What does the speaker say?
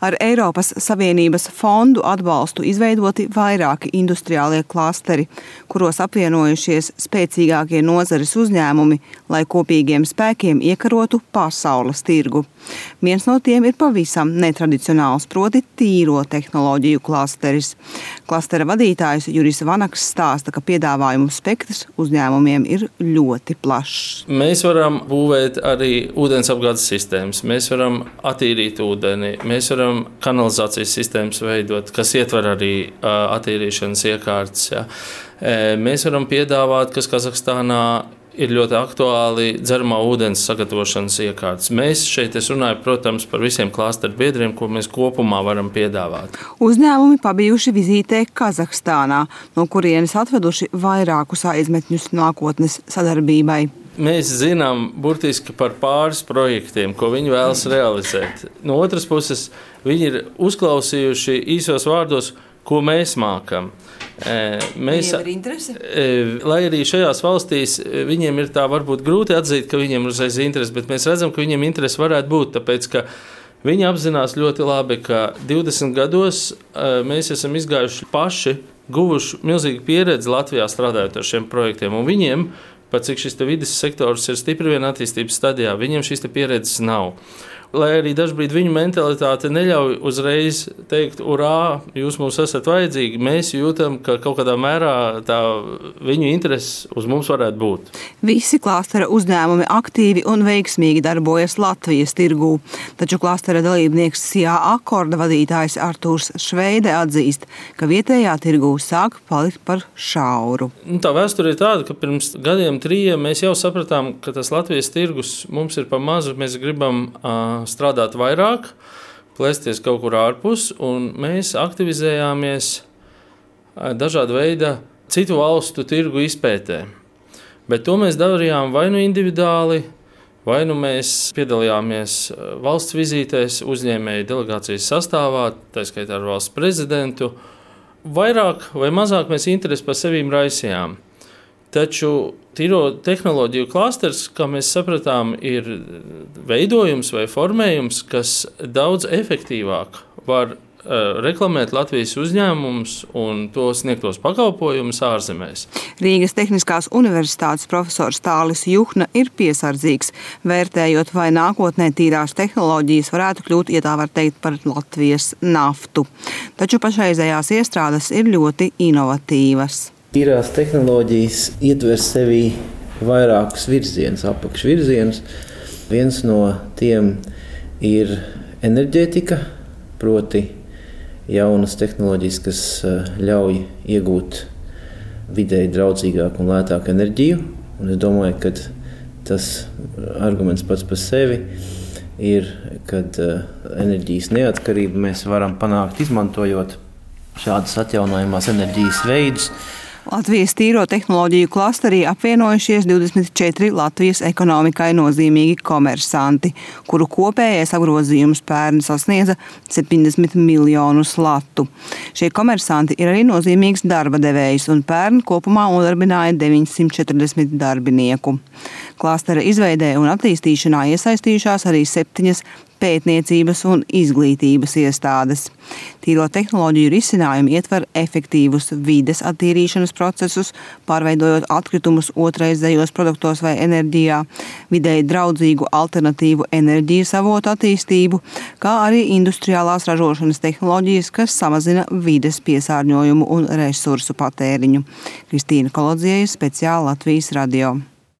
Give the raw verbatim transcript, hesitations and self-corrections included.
Ar Eiropas Savienības fondu atbalstu izveidoti vairāki industriālie klasteri, kuros apvienojušies spēcīgākie nozares uzņēmumi, lai kopīgiem spēkiem iekarotu pasaules tirgu. Viens no tiem ir pavisam netradicionāls, proti tīro tehnoloģiju klasteris. Klastera vadītājs Juris Vanaks stāsta, ka piedāvājumu spektrs uzņēmumiem ir ļoti plašs. Mēs varam būvēt arī ūdensapgādes sistēmas, mēs varam attīrīt ūdeni, mēs varam kanalizācijas sistēmas veidot, kas ietver arī uh, attīrīšanas iekārtas. Ja. E, mēs varam piedāvāt, kas Kazahstānā ir ļoti aktuāli, dzeramā ūdens sagatavošanas iekārtas. Mēs šeit, es runāju, protams, par visiem klasteru biedriem, ko mēs kopumā varam piedāvāt. Uzņēmumi pabijuši vizītē Kazahstānā, no kurienes atveduši vairākus aizmetņus nākotnes sadarbībai. Mēs zinām burtiski par pāris projektiem, ko viņi vēlas realizēt. No otras puses, viņi ir uzklausījuši īsos vārdos, ko mēs mākam. Mēs, viņiem ir interese? Lai arī šajās valstīs viņiem ir tā varbūt grūti atzīt, ka viņiem ir uzreiz interese, bet mēs redzam, ka viņiem interese varētu būt, tāpēc, ka viņi apzinās ļoti labi, ka divdesmit gados mēs esam izgājuši paši, guvuši milzīgu pieredzi Latvijā strādājot ar šiem projektiem, un viņiem, pat cik šis vides sektors ir stipri vien attīstības stadijā, viņiem šīs pieredzes nav. Lai arī dažbrīd viņu mentalitāte neļauj uzreiz teikt, urā, jūs mums esat vajadzīgi, mēs jūtam, ka kaut kādā mērā tā viņu interese uz mums varētu būt. Visi klastera uzņēmumi aktīvi un veiksmīgi darbojas Latvijas tirgū, taču klastera dalībnieks Sijā Akorda vadītājs Artūrs Šveide atzīst, ka vietējā tirgū sāk palikt par šauru. Tā vēsture ir tāda, ka pirms gadiem trījiem mēs jau sapratām, ka tas Latvijas tirgus mums ir pa mazu, mēs gribam uh, strādāt vairāk, plēsties kaut kur ārpus, un mēs aktivizējāmies dažāda veida citu valstu tirgu izpētē. Bet to mēs darījām vai nu individuāli, vai nu mēs piedalījāmies valsts vizītēs, uzņēmēju delegācijas sastāvā, tā skaitā ar valsts prezidentu. Vairāk vai mazāk mēs interesi par sevīm raisījām. Taču tīro tehnoloģiju klasters, kā mēs sapratām, ir veidojums vai formējums, kas daudz efektīvāk var uh, reklamēt Latvijas uzņēmumus un to sniegtos pakalpojumus ārzemēs. Rīgas Tehniskās universitātes profesors Tālis Juhna ir piesardzīgs, vērtējot, vai nākotnē tīrās tehnoloģijas varētu kļūt, ja tā var teikt, par Latvijas naftu. Taču pašreizējās iestrādes ir ļoti inovatīvas. Tīrās tehnoloģijas ietver sevī vairākus virzienus, apakšvirzienus. Viens no tiem ir enerģētika, proti jaunas tehnoloģijas, kas ļauj iegūt vidēji draudzīgāku un lētāku enerģiju. Un es domāju, ka tas arguments pats par sevi ir, kad enerģijas neatkarību mēs varam panākt, izmantojot šādas atjaunojamās enerģijas veidus. Latvijas tīro tehnoloģiju klasterī apvienojušies divdesmit četri Latvijas ekonomikai nozīmīgi komersanti, kuru kopējais apgrozījums pērn sasniedza septiņdesmit miljonus latu. Šie komersanti ir arī nozīmīgs darba devējs un pērn kopumā nodarbināja deviņsimt četrdesmit darbinieku. Klastera izveidē un attīstīšanā iesaistījušās arī septiņas pētniecības un izglītības iestādes. Tīro tehnoloģiju risinājumi ietver efektīvus vides attīrīšanas procesus, pārveidojot atkritumus otraizējos produktos vai enerģijā, vidēji draudzīgu alternatīvu enerģijas avotu attīstību, kā arī industriālās ražošanas tehnoloģijas, kas samazina vides piesārņojumu un resursu patēriņu. Kristīna Kolodziejus, speciāli Latvijas radio.